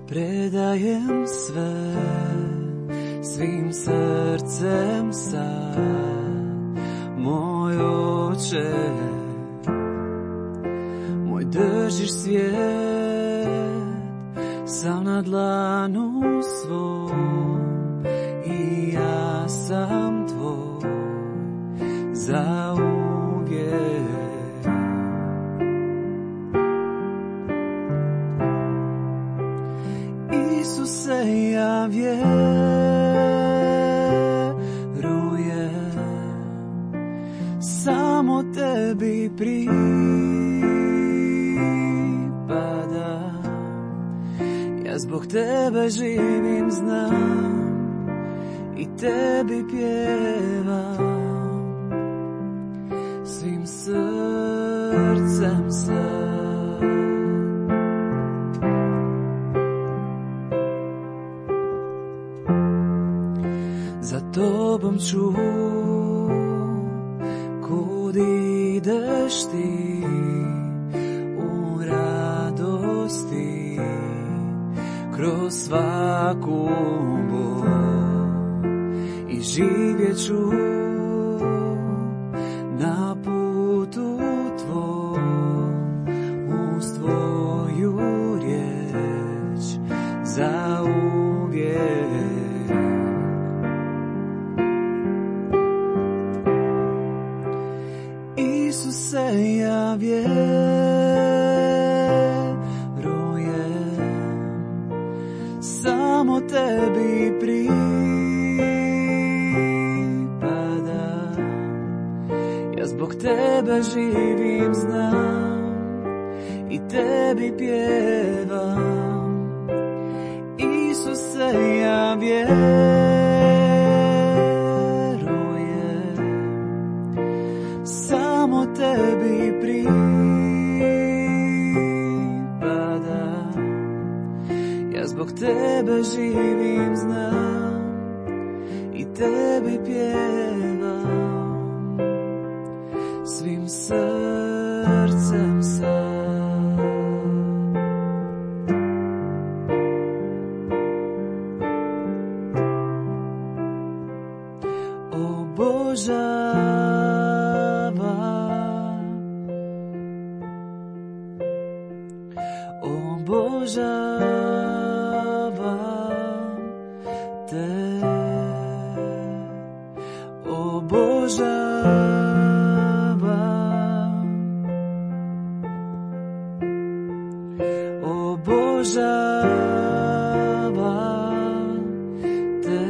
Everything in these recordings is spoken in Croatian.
Predajem sve, svim srcem sad, moj Oče, moj držiš svijet, sam na dlanu svom, i ja sam tvoj, za uvijek. Isuse, ja vjerujem, samo tebi pripadam, ja zbog tebe živim, znam, i tebi pjevam, svim srcem sad. Za tobom ću, kud ideš ti, u radosti, kroz svaku bol, i živjet ću na putu tvoj, uz tvoju riječ, za uvijek. Isuse, ja vjerujem, samo tebi pripadam, ja zbog tebe živim, znam, i tebi pjevam. Isuse, ja vjerujem, samo tebi pripadam, ja zbog tebe živim, znam, i tebi pjevam, svim srcem sad. Obožavam te, obožavam, obožavam te,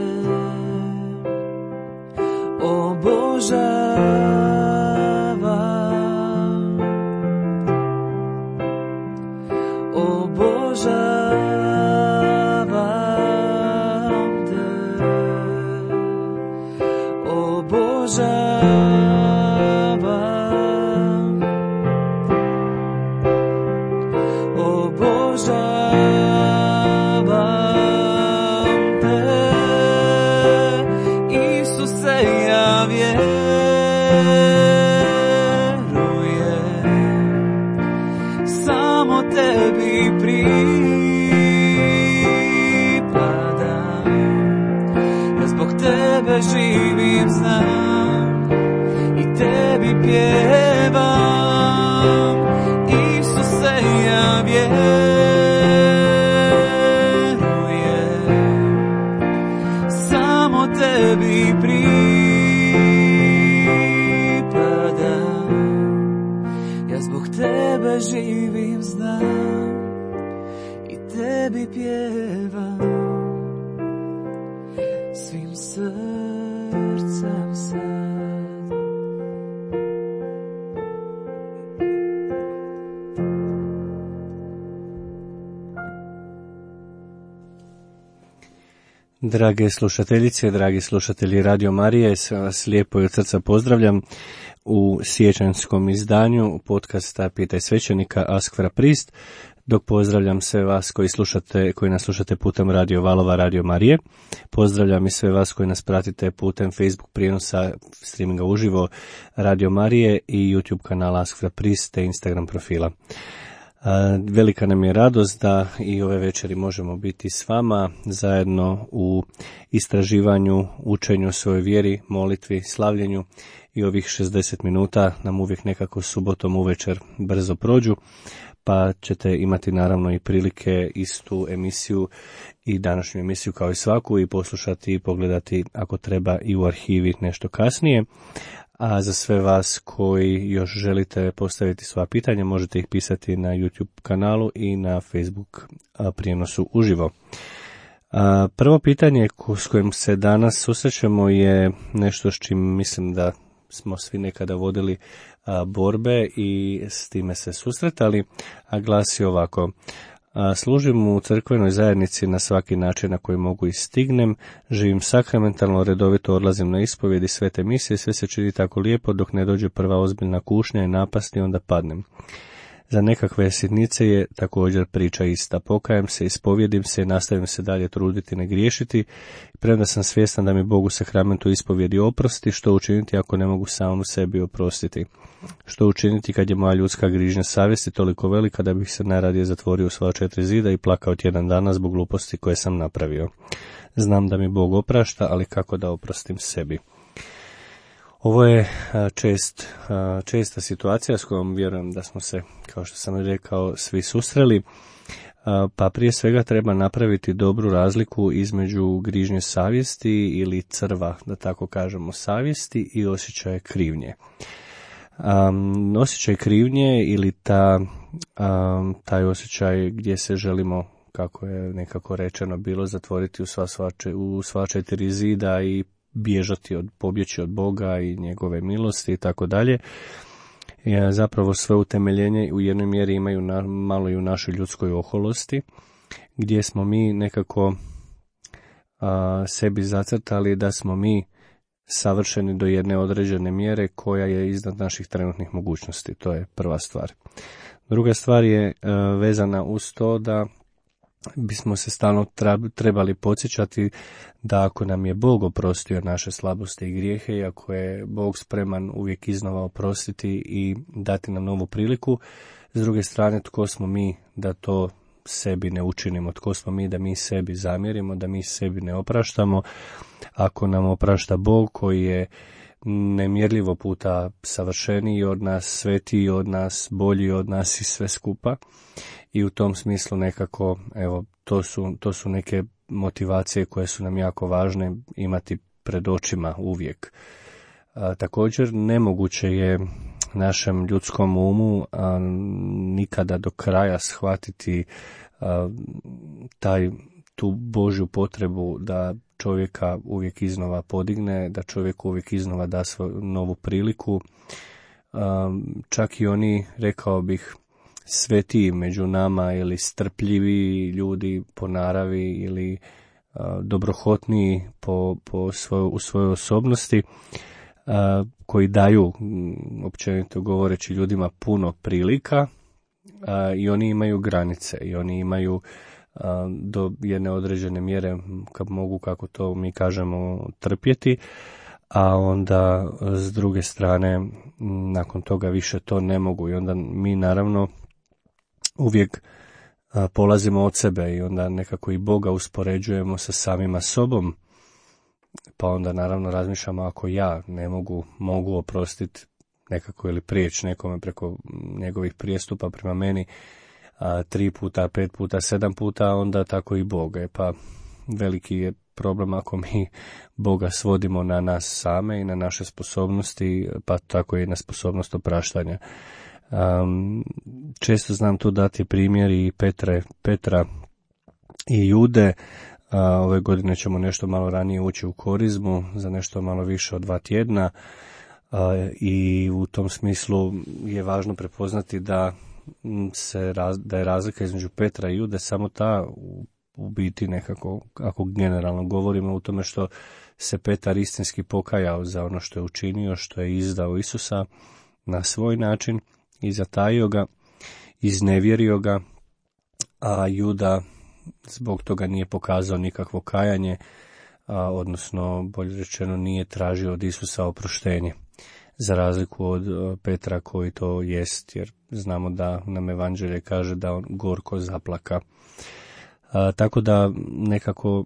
obožavam, obožavam te, obožavam, obožavam te. Isuse, ja vjerujem, samo tebi pripadam, ja zbog tebe živim, znam, i tebi pjevam. Isuse, ja vjerujem, samo tebi pripadam, ja zbog tebe živim, znam, i tebi pjevam, svim srcem sad. Drage slušateljice, dragi slušatelji Radio Marije, sve vas lijepo i od srca pozdravljam u siječanjskom izdanju podcasta Pitaj svećenika Ask fra Prist. dok pozdravljam sve vas koji nas slušate putem Radio Valova, Radio Marije. Pozdravljam i sve vas koji nas pratite putem Facebook prijenosa streaminga uživo Radio Marije i YouTube kanala Ask for a Priest te Instagram profila. Velika nam je radost da i ove večeri možemo biti s vama zajedno u istraživanju, učenju o svojoj vjeri, molitvi, slavljenju i ovih 60 minuta nam uvijek nekako subotom uvečer brzo prođu, pa ćete imati naravno i prilike istu emisiju i današnju emisiju kao i svaku i poslušati i pogledati ako treba i u arhivi nešto kasnije. A za sve vas koji još želite postaviti sva pitanja, možete ih pisati na YouTube kanalu i na Facebook prijenosu uživo. Prvo pitanje s kojim se danas susrećemo je nešto s čim mislim da smo svi nekada vodili borbe i s time se susretali, a glasi ovako: služim u crkvenoj zajednici na svaki način na koji mogu i stignem, živim sakramentalno, redovito odlazim na ispovjedi, svete misije, sve se čini tako lijepo dok ne dođe prva ozbiljna kušnja i napast i onda padnem. Za nekakve sitnice je također priča ista. Pokajem se, ispovjedim se i nastavim se dalje truditi ne griješiti, premda sam svjestan da mi Bog u sakramentu ispovjedi oprosti. Što učiniti ako ne mogu samom sebi oprostiti? Što učiniti kad je moja ljudska grižnja savjesti toliko velika da bih se najradije zatvorio u svoja 4 zida i plakao tjedan dana zbog gluposti koje sam napravio? Znam da mi Bog oprašta, ali kako da oprostim sebi? Ovo je česta situacija s kojom vjerujem da smo se, kao što sam rekao, svi susreli, pa prije svega treba napraviti dobru razliku između grižnje savjesti ili crva, da tako kažemo, savjesti i osjećaje krivnje. Osjećaj krivnje ili taj osjećaj gdje se želimo, kako je nekako rečeno bilo, zatvoriti u sva 4 zida i pobjeći od Boga i njegove milosti i tako dalje. Zapravo sve utemeljenje u jednoj mjeri imaju malo i u našoj ljudskoj oholosti, gdje smo mi nekako sebi zacrtali da smo mi savršeni do jedne određene mjere koja je iznad naših trenutnih mogućnosti. To je prva stvar. Druga stvar je vezana uz to da bismo se stalno trebali podsjećati da ako nam je Bog oprostio naše slabosti i grijehe i ako je Bog spreman uvijek iznova oprostiti i dati nam novu priliku, s druge strane tko smo mi da to sebi ne učinimo, tko smo mi da mi sebi zamjerimo, da mi sebi ne opraštamo, ako nam oprašta Bog koji je nemjerljivo puta savršeniji od nas, svetiji od nas, bolji od nas i sve skupa. I u tom smislu nekako, evo, to su neke motivacije koje su nam jako važne imati pred očima uvijek. Također nemoguće je našem ljudskom umu nikada do kraja shvatiti tu Božju potrebu da čovjeka uvijek iznova podigne, da čovjeku uvijek iznova da svoju novu priliku. Čak i oni, rekao bih, svetiji među nama ili strpljivi ljudi po naravi ili dobrohotniji u svojoj osobnosti, koji daju, općenito govoreći, ljudima puno prilika, i oni imaju granice i oni imaju do jedne određene mjere, kad mogu, kako to mi kažemo, trpjeti, a onda s druge strane nakon toga više to ne mogu i onda mi naravno uvijek polazimo od sebe i onda nekako i Boga uspoređujemo sa samima sobom, pa onda naravno razmišljamo ako ja ne mogu oprostiti nekako ili prijeći nekome preko njegovih prijestupa prema meni 3 puta, 5 puta, 7 puta, onda tako i Bog. Pa veliki je problem ako mi Boga svodimo na nas same i na naše sposobnosti, pa tako i na sposobnost opraštanja. Često znam tu dati primjer i Petra i Jude. Ove godine ćemo nešto malo ranije ući u korizmu, za nešto malo više od 2 tjedna, i u tom smislu je važno prepoznati da je razlika između Petra i Jude samo ta, u biti nekako, ako generalno govorimo, u tome što se Petar istinski pokajao za ono što je učinio, što je izdao Isusa na svoj način i zatajio ga, iznevjerio ga a Juda zbog toga nije pokazao nikakvo kajanje, odnosno bolje rečeno nije tražio od Isusa oproštenje, za razliku od Petra koji to jest, jer znamo da nam evanđelje kaže da on gorko zaplaka. Tako da nekako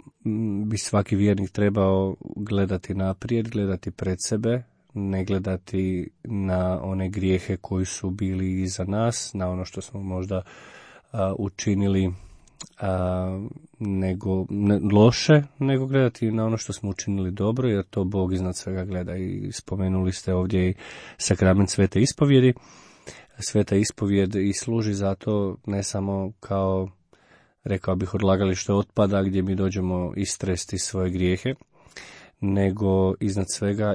bi svaki vjernik trebao gledati naprijed, gledati pred sebe, ne gledati na one grijehe koji su bili iza nas, na ono što smo možda učinili loše, nego gledati na ono što smo učinili dobro, jer to Bog iznad svega gleda. I spomenuli ste ovdje i sakrament svete ispovjedi. Sveta ispovjed i služi zato ne samo kao, rekao bih, odlagalište otpada gdje mi dođemo istresti svoje grijehe, nego iznad svega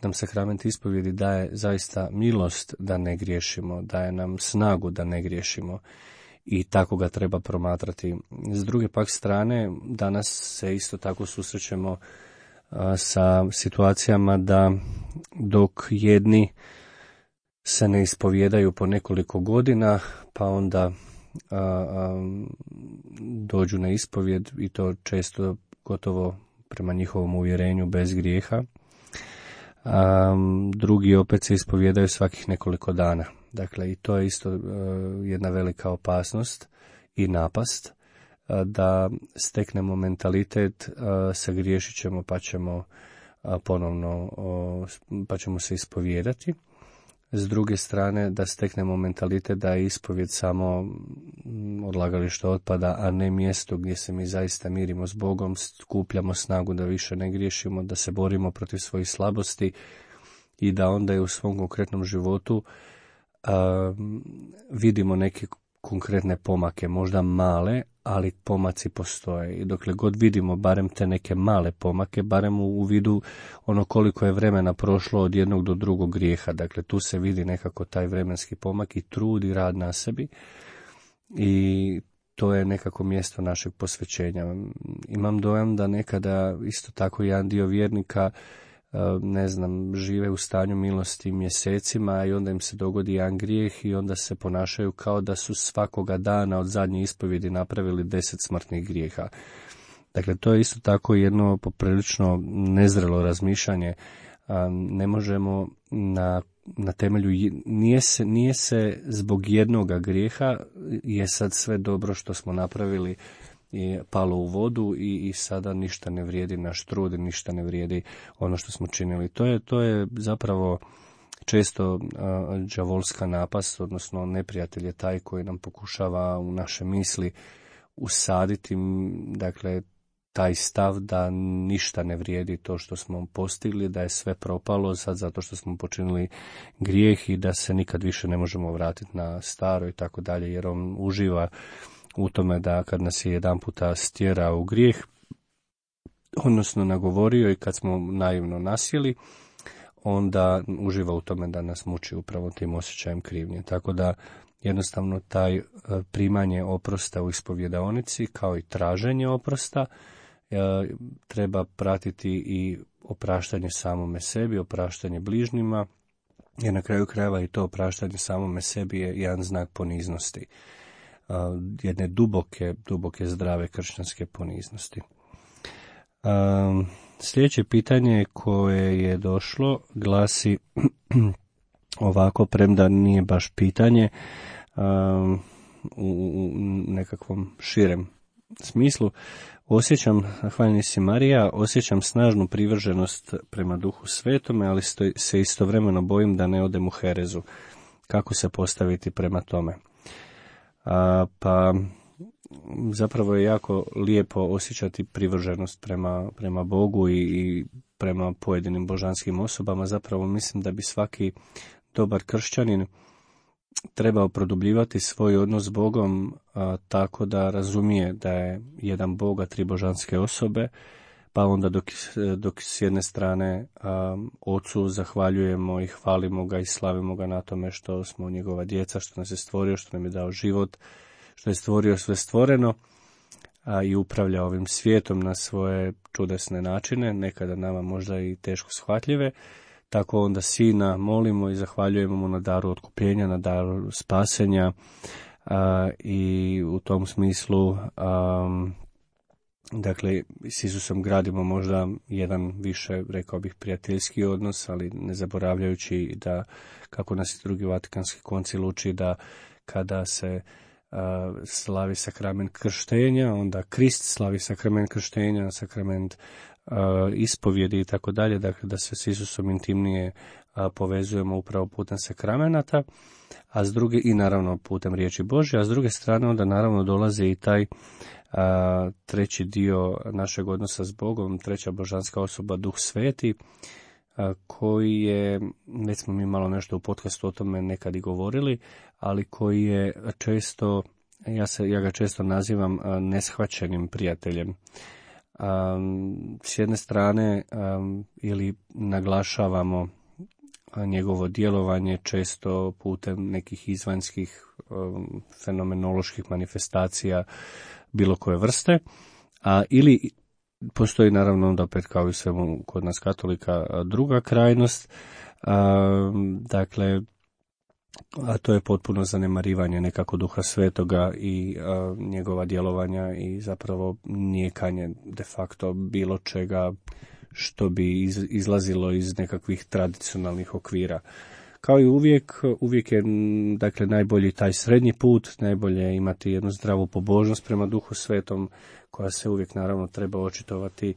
nam sakrament ispovjedi daje zaista milost da ne griješimo, daje nam snagu da ne griješimo i tako ga treba promatrati. S druge pak strane, danas se isto tako susrećemo sa situacijama da dok jedni se ne ispovjedaju po nekoliko godina, pa onda dođu na ispovjed i to često gotovo prema njihovom uvjerenju bez grijeha. Drugi opet se ispovjedaju svakih nekoliko dana. Dakle, i to je isto jedna velika opasnost i napast, da steknemo mentalitet, sagriješit ćemo pa ćemo ponovno, pa ćemo se ispovijedati. S druge strane, da steknemo mentalitet da je ispovjed samo odlagalište otpada, a ne mjesto gdje se mi zaista mirimo s Bogom, skupljamo snagu da više ne griješimo, da se borimo protiv svojih slabosti i da onda i u svom konkretnom životu vidimo neke konkretne pomake, možda male, ali pomaci postoje. I dokle god vidimo barem te neke male pomake, barem u vidu ono koliko je vremena prošlo od jednog do drugog grijeha, dakle tu se vidi nekako taj vremenski pomak i trud i rad na sebi, i to je nekako mjesto našeg posvećenja. Imam dojam da nekada isto tako jedan dio vjernika žive u stanju milosti mjesecima i onda im se dogodi jedan grijeh i onda se ponašaju kao da su svakoga dana od zadnje ispovjedi napravili 10 smrtnih grijeha. Dakle, to je isto tako jedno poprilično nezrelo razmišljanje. Ne možemo na temelju, nije se zbog jednoga grijeha je sad sve dobro što smo napravili i palo u vodu i sada ništa ne vrijedi naš trud, ništa ne vrijedi ono što smo činili. To je zapravo često đavolska napast, odnosno neprijatelj je taj koji nam pokušava u naše misli usaditi, dakle, taj stav da ništa ne vrijedi to što smo postigli, da je sve propalo sad zato što smo počinili grijeh i da se nikad više ne možemo vratiti na staro i tako dalje, jer on uživa u tome da kad nas je jedan puta stjerao u grijeh, odnosno nagovorio i kad smo naivno nasjeli, onda uživa u tome da nas muči upravo tim osjećajem krivnje. Tako da jednostavno taj primanje oprosta u ispovjedaonici kao i traženje oprosta treba pratiti i opraštanje samome sebi, opraštanje bližnjima, jer na kraju krajeva i to opraštanje samome sebi je jedan znak poniznosti, jedne duboke zdrave kršćanske poniznosti. Sljedeće pitanje koje je došlo glasi ovako, premda nije baš pitanje u nekakvom širem smislu. Hvaljeni si Marija, osjećam snažnu privrženost prema Duhu Svetome, ali se istovremeno bojim da ne odem u herezu. Kako se postaviti prema tome? Pa zapravo je jako lijepo osjećati privrženost prema Bogu i prema pojedinim božanskim osobama. Zapravo mislim da bi svaki dobar kršćanin trebao produbljivati svoj odnos s Bogom tako da razumije da je jedan Bog, a tri božanske osobe, pa onda dok s jedne strane Ocu zahvaljujemo i hvalimo ga i slavimo ga na tome što smo njegova djeca, što nas je stvorio, što nam je dao život, što je stvorio sve stvoreno i upravlja ovim svijetom na svoje čudesne načine, nekada nama možda i teško shvatljive. Tako onda Sina molimo i zahvaljujemo mu na daru otkupljenja, na daru spasenja, i u tom smislu dakle s Isusom gradimo možda jedan više, rekao bih, prijateljski odnos, ali ne zaboravljajući da, kako nas i drugi Vatikanski koncil uči, da kada se slavi sakrament krštenja, onda Krist slavi sakrament krštenja, sakrament ispovjedi i tako dalje, dakle da se s Isusom intimnije povezujemo upravo putem sakramenata, a s druge, i naravno putem riječi Božje, a s druge strane onda naravno dolazi i taj treći dio našeg odnosa s Bogom, treća božanska osoba, Duh Sveti, koji je, već smo mi malo nešto u podcastu o tome nekad i govorili, ali koji je često, ja ga često nazivam neshvaćenim prijateljem. S jedne strane ili naglašavamo njegovo djelovanje često putem nekih izvanjskih fenomenoloških manifestacija bilo koje vrste, ili postoji naravno onda opet kao i svemu kod nas katolika druga krajnost, dakle, a to je potpuno zanemarivanje nekako Duha Svetoga i njegova djelovanja i zapravo nijekanje de facto bilo čega što bi izlazilo iz nekakvih tradicionalnih okvira. Kao i uvijek je dakle najbolji taj srednji put, najbolje imati jednu zdravu pobožnost prema Duhu Svetom, koja se uvijek naravno treba očitovati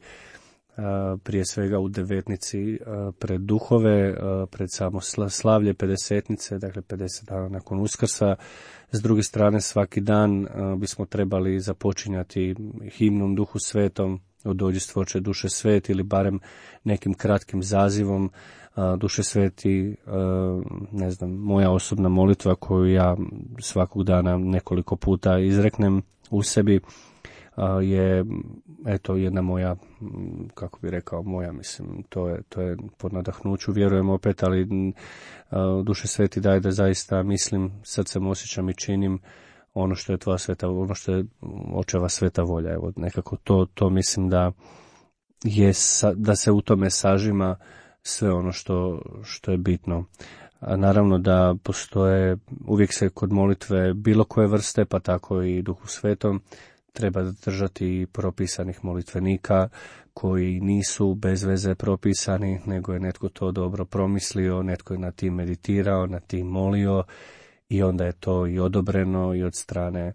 prije svega u devetnici pred duhove, pred samo slavlje pedesetnice, dakle 50 dana nakon Uskrsa. S druge strane, svaki dan bismo trebali započinjati himnom Duhu Svetom, o dođi stvorče duše sveti, ili barem nekim kratkim zazivom Duše sveti, ne znam, moja osobna molitva koju ja svakog dana nekoliko puta izreknem u sebi, je eto jedna moja, kako bi rekao, mislim, to je po nadahnuću, vjerujem opet, ali Duše sveti daj da zaista mislim, srcem osjećam i činim ono što je tvoja sveta, ono što je očeva sveta volja. Evo, nekako to mislim da se u tome sažima sve ono što je bitno. A naravno da postoje, uvijek se kod molitve bilo koje vrste, pa tako i Duhu Svetom, treba držati propisanih molitvenika koji nisu bez veze propisani, nego je netko to dobro promislio, netko je na tim meditirao, na tim molio, i onda je to i odobreno i od strane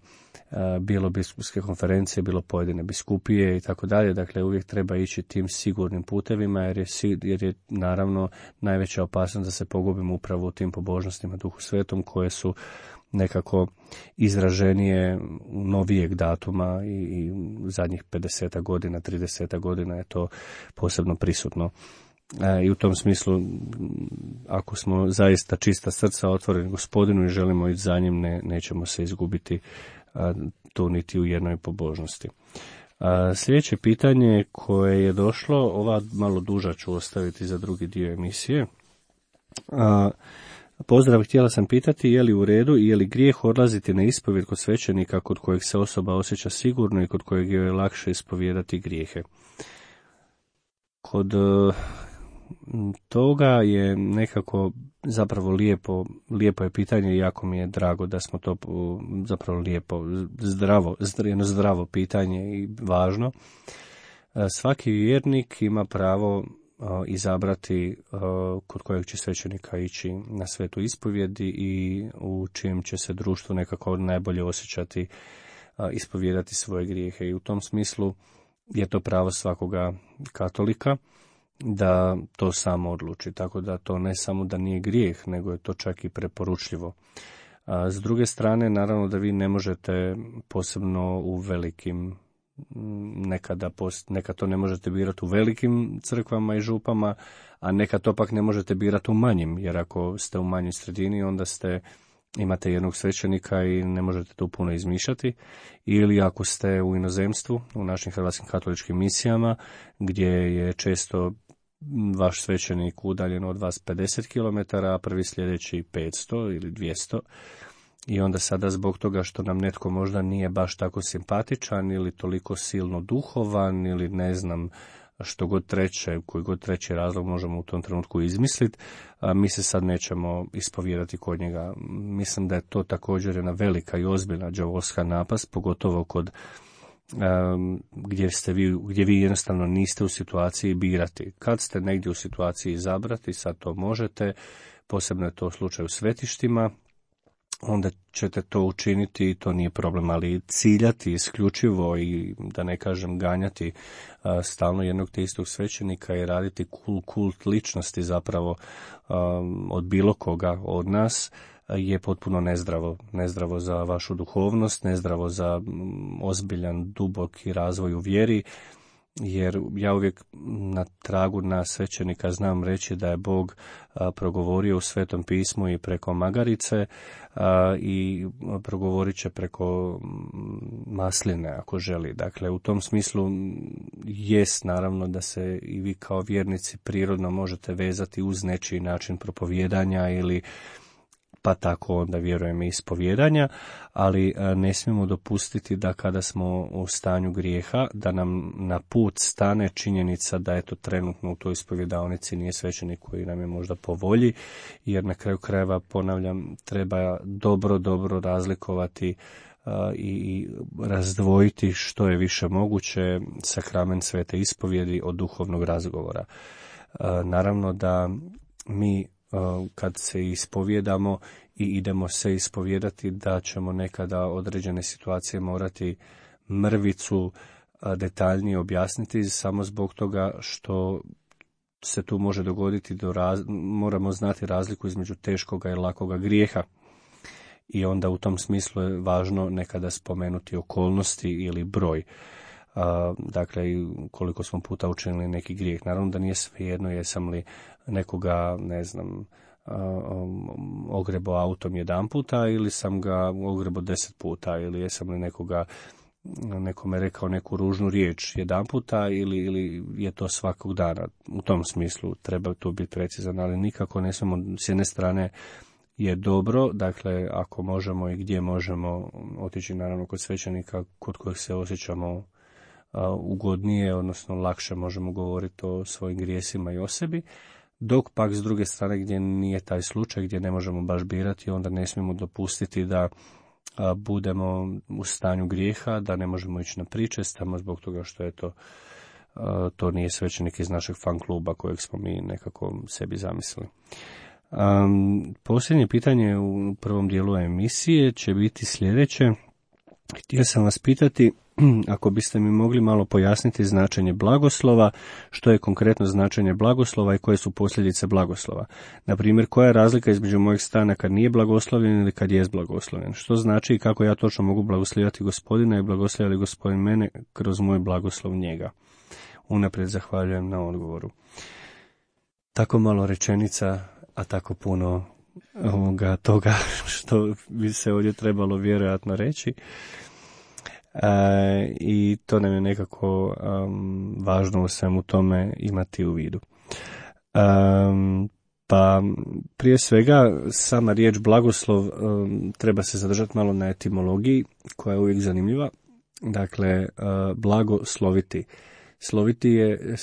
bilo biskupske konferencije, bilo pojedine biskupije i tako dalje. Dakle, uvijek treba ići tim sigurnim putevima, jer je naravno najveća opasnost da se pogubimo upravo u tim pobožnostima Duhu Svetom, koje su nekako izraženije novijeg datuma i zadnjih 50 godina, 30 godina je to posebno prisutno. I u tom smislu, ako smo zaista čista srca otvoreni Gospodinu i želimo ići za njim, nećemo se izgubiti tu niti u jednoj pobožnosti. Sljedeće pitanje koje je došlo, ova malo duža ću ostaviti za drugi dio emisije. Pozdrav, htjela sam pitati je li u redu i je li grijeh odlaziti na ispovjed kod svećenika kod kojeg se osoba osjeća sigurno i kod kojeg je lakše ispovijedati grijehe. Kod toga je nekako zapravo lijepo je pitanje i jako mi je drago da smo to zapravo lijepo, jedno zdravo pitanje i važno. Svaki vjernik ima pravo izabrati kod kojeg će svećenika ići na svetu ispovjedi i u čijem će se društvu nekako najbolje osjećati ispovijedati svoje grijehe. I u tom smislu je to pravo svakoga katolika da to samo odluči, tako da to ne samo da nije grijeh, nego je to čak i preporučljivo. S druge strane, naravno da vi ne možete posebno u velikim, nekad to ne možete birati u velikim crkvama i župama, a nekad to pak ne možete birati u manjim, jer ako ste u manjoj sredini, onda imate jednog svećenika i ne možete tu puno izmišljati, ili ako ste u inozemstvu, u našim hrvatskim katoličkim misijama, gdje je često vaš svećenik udaljen od vas 50 km, a prvi sljedeći 500 ili 200, i onda sada zbog toga što nam netko možda nije baš tako simpatičan ili toliko silno duhovan ili ne znam, što god treće, koji god treći razlog možemo u tom trenutku izmisliti, mi se sad nećemo ispovijedati kod njega. Mislim da je to također jedna velika i ozbiljna đavolska napast, pogotovo kod gdje vi jednostavno niste u situaciji birati. Kad ste negdje u situaciji izabrati, sad to možete, posebno je to u slučaju svetištima, onda ćete to učiniti i to nije problem, ali ciljati isključivo i da ne kažem ganjati stalno jednog te istog svećenika i raditi kult ličnosti zapravo od bilo koga od nas je potpuno nezdravo za vašu duhovnost, nezdravo za ozbiljan, duboki razvoj u vjeri, jer ja uvijek na tragu na svećenika znam reći da je Bog progovorio u Svetom pismu i preko magarice i progovorit će preko masline ako želi. Dakle, u tom smislu jest naravno da se i vi kao vjernici prirodno možete vezati uz nečiji način propovijedanja ili pa tako onda vjerujem i ispovijedanja, ali ne smijemo dopustiti da kada smo u stanju grijeha, da nam na put stane činjenica da eto trenutno u toj ispovjedaonici nije svećenik koji nam je možda po volji, jer na kraju krajeva, ponavljam, treba dobro razlikovati i razdvojiti što je više moguće sakrament svete ispovjedi od duhovnog razgovora. Naravno da mi kad se ispovijedamo i idemo se ispovijedati, da ćemo nekada određene situacije morati mrvicu detaljnije objasniti, samo zbog toga što se tu može dogoditi, moramo znati razliku između teškoga i lakoga grijeha. I onda u tom smislu je važno nekada spomenuti okolnosti ili broj. Dakle, koliko smo puta učinili neki grijeh. Naravno da nije svejedno jesam li nekoga, ne znam, ogrebo autom 1 puta ili sam ga ogrebo 10 puta ili jesam li nekome rekao neku ružnu riječ 1 puta ili je to svakog dana. U tom smislu treba tu biti precizan, ali nikako ne smijemo, s jedne strane je dobro, dakle ako možemo i gdje možemo otići naravno kod svećenika kod kojeg se osjećamo ugodnije, odnosno lakše možemo govoriti o svojim grijesima i o sebi, dok pak s druge strane gdje nije taj slučaj, gdje ne možemo baš birati, onda ne smijemo dopustiti da budemo u stanju grijeha, da ne možemo ići na priče, samo zbog toga što je to nije svećenik iz našeg fan kluba kojeg smo mi nekako sebi zamislili. Posljednje pitanje u prvom dijelu emisije će biti sljedeće. Htio sam vas pitati, ako biste mi mogli malo pojasniti značenje blagoslova, što je konkretno značenje blagoslova i koje su posljedice blagoslova. Na primjer, koja je razlika između mojeg stana kad nije blagoslovljen ili kad jest blagoslovljen? Što znači i kako ja točno mogu blagoslovljati Gospodina i blagoslovlja li Gospodin mene kroz moj blagoslov njega? Unaprijed zahvaljujem na odgovoru. Tako malo rečenica, a tako puno toga što bi se ovdje trebalo vjerojatno reći. I to nam je nekako važno u svemu tome imati u vidu. Pa prije svega sama riječ blagoslov treba se zadržati malo na etimologiji koja je uvijek zanimljiva. Dakle, blagosloviti. Sloviti je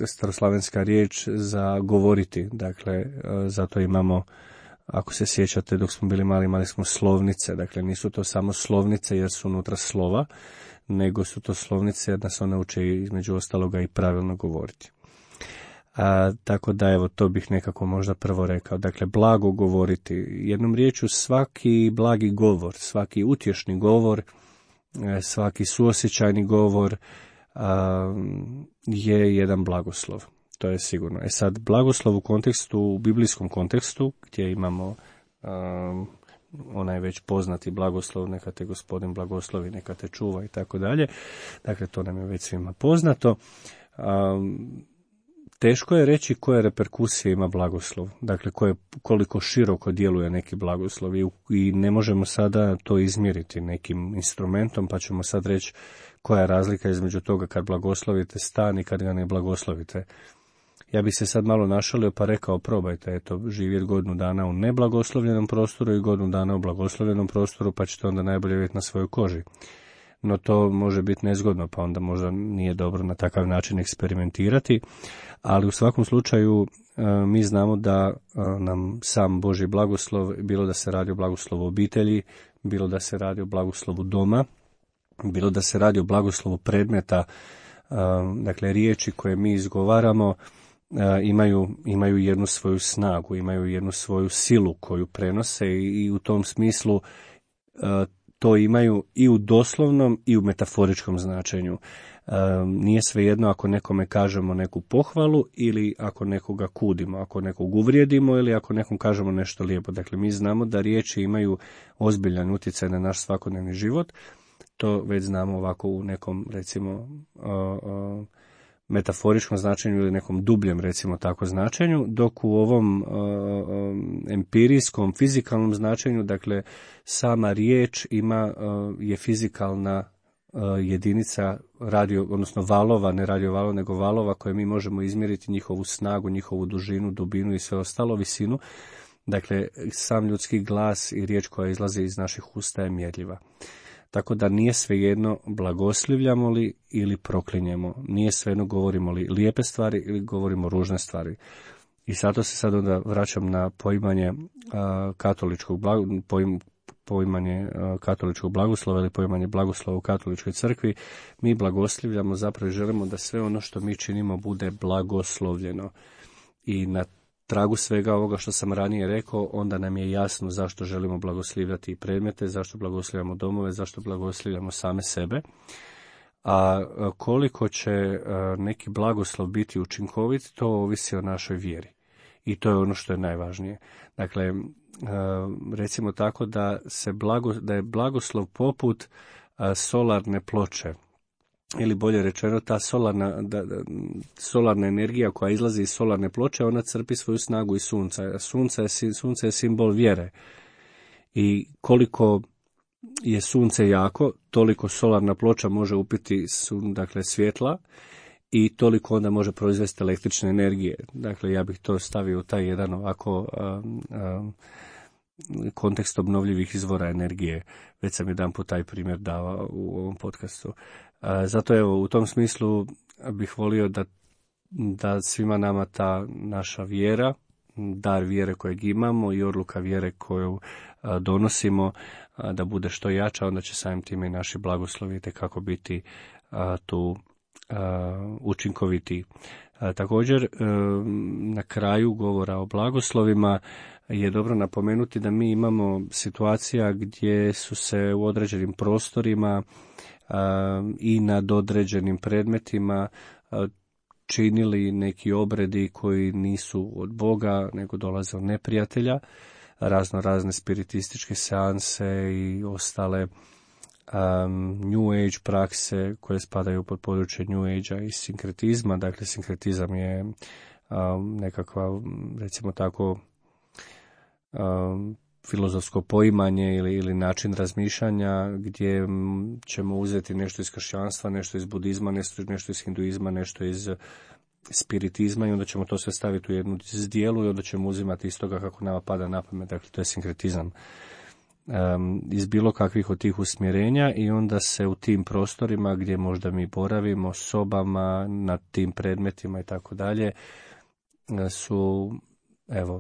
staroslavenska riječ za govoriti. Dakle, zato imamo, ako se sjećate, dok smo bili mali, imali smo slovnice. Dakle, nisu to samo slovnice jer su unutra slova, nego su to slovnice jer nas one uče između ostaloga i pravilno govoriti. Tako da, evo, to bih nekako možda prvo rekao. Dakle, blago govoriti. Jednom riječju, svaki blagi govor, svaki utješni govor, svaki suosjećajni govor je jedan blagoslov. To je sigurno. Sad, blagoslov u kontekstu, u biblijskom kontekstu, gdje imamo onaj već poznati blagoslov, neka te Gospodin blagoslovi, neka te čuva i tako dalje. Dakle, to nam je već svima poznato. Teško je reći koje reperkusije ima blagoslov, dakle koliko široko djeluje neki blagoslov i ne možemo sada to izmjeriti nekim instrumentom, pa ćemo sad reći koja je razlika između toga kad blagoslovite stan i kad ga ne blagoslovite. Ja bih se sad malo našalio pa rekao, probajte, eto, živjeti godinu dana u neblagoslovljenom prostoru i godinu dana u blagoslovljenom prostoru, pa ćete onda najbolje vidjeti na svojoj koži. no to može biti nezgodno, pa onda možda nije dobro na takav način eksperimentirati, ali u svakom slučaju mi znamo da nam sam Božji blagoslov, bilo da se radi o blagoslovu obitelji, bilo da se radi o blagoslovu doma, bilo da se radi o blagoslovu predmeta, dakle riječi koje mi izgovaramo imaju jednu svoju snagu, imaju jednu svoju silu koju prenose i u tom smislu to imaju i u doslovnom i u metaforičkom značenju. Nije svejedno ako nekome kažemo neku pohvalu ili ako nekoga kudimo, ako nekog uvrijedimo ili ako nekom kažemo nešto lijepo. Dakle, mi znamo da riječi imaju ozbiljan utjecaj na naš svakodnevni život. To već znamo ovako u nekom, recimo, metaforičkom značenju ili nekom dubljem, recimo tako, značenju, dok u ovom empirijskom, fizikalnom značenju, dakle, sama riječ je fizikalna jedinica odnosno valova, ne radiovalova, nego valova koje mi možemo izmjeriti njihovu snagu, njihovu dužinu, dubinu i sve ostalo, visinu. Dakle, sam ljudski glas i riječ koja izlazi iz naših usta je mjerljiva. Tako da nije svejedno blagoslivljamo li ili proklinjemo, nije svejedno govorimo li lijepe stvari ili govorimo ružne stvari. I zato se sad onda vraćam na poimanje katoličkog blagoslova ili poimanje blagoslova u katoličkoj crkvi. Mi blagoslivljamo, zapravo želimo da sve ono što mi činimo bude blagoslovljeno. I na tragu svega ovoga što sam ranije rekao, onda nam je jasno zašto želimo blagoslivljati predmete, zašto blagoslivljamo domove, zašto blagoslivljamo same sebe. A koliko će neki blagoslov biti učinkovit, to ovisi o našoj vjeri. I to je ono što je najvažnije. Dakle, recimo tako da je blagoslov poput solarne ploče, ili bolje rečeno ta solarna energija koja izlazi iz solarne ploče, ona crpi svoju snagu iz sunca. Sunce je simbol vjere. I koliko je sunce jako, toliko solarna ploča može upiti svjetla i toliko onda može proizvesti električne energije. Dakle, ja bih to stavio u taj jedan ovako kontekst obnovljivih izvora energije. Već sam jedanput taj primjer davao u ovom podcastu. Zato evo, u tom smislu bih volio da svima nama ta naša vjera, dar vjere kojeg imamo i odluka vjere koju donosimo, da bude što jača, onda će samim time i naši blagoslovi kako biti tu učinkoviti. Također, na kraju govora o blagoslovima je dobro napomenuti da mi imamo situacija gdje su se u određenim prostorima i nad određenim predmetima činili neki obredi koji nisu od Boga, nego dolaze od neprijatelja, razne spiritističke seanse i ostale New Age prakse koje spadaju pod područje New Age-a i sinkretizma. Dakle, sinkretizam je nekakva, recimo tako, filozofsko poimanje ili način razmišljanja gdje ćemo uzeti nešto iz kršćanstva, nešto iz budizma, nešto iz hinduizma, nešto iz spiritizma i onda ćemo to sve staviti u jednu zdjelu i onda ćemo uzimati iz toga kako nama pada na pamet. Dakle, to je sinkretizam. Iz bilo kakvih od tih usmjerenja i onda se u tim prostorima gdje možda mi boravimo, sobama, nad tim predmetima i tako dalje, su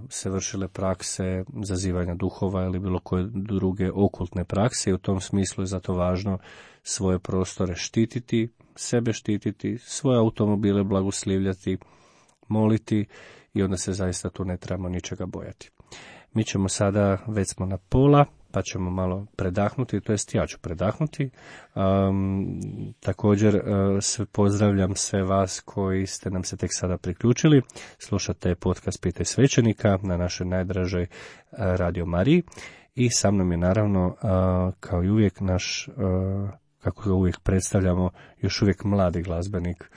se vršile prakse zazivanja duhova ili bilo koje druge okultne prakse i u tom smislu je zato važno svoje prostore štititi, sebe štititi, svoje automobile blagoslivljati, moliti i onda se zaista tu ne trebamo ničega bojati. Mi ćemo sada, već smo na pola, pa ćemo malo predahnuti, to jest ja ću predahnuti. Također pozdravljam sve vas koji ste nam se tek sada priključili. Slušate podcast Pitaj svećenika na našoj najdražoj Radio Mariji i sa mnom je naravno, kao i uvijek, naš, kako ga uvijek predstavljamo, još uvijek mladi glazbenik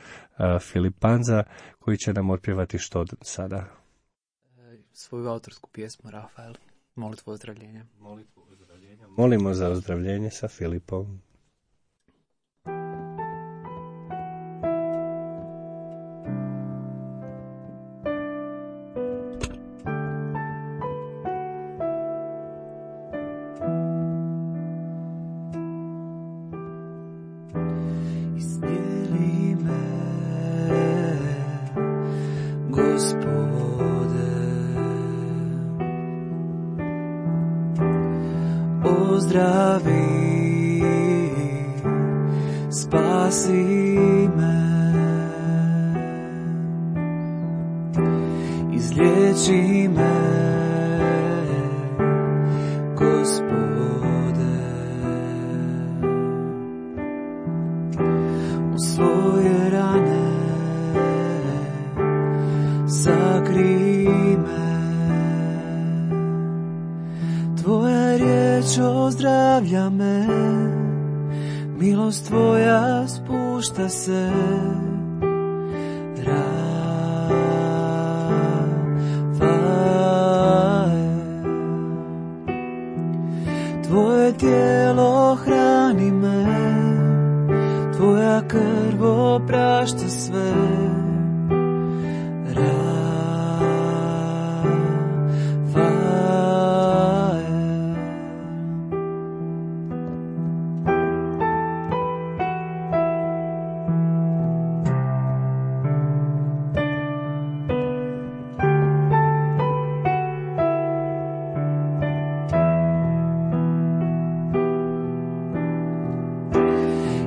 Filip Panza, koji će nam otpjevati što sada? Svoju autorsku pjesmu, Rafael. Molitvu ozdravljenja. Molimo za ozdravljenje sa Filipom. ozdravi, spasi me, izliječi me, Gospode, u svoje rane sakri me, Tvoja riječ ozdravlja me, milost Tvoja spušta se, Tvoje tijelo hrani me, Tvoja krv oprašta sve,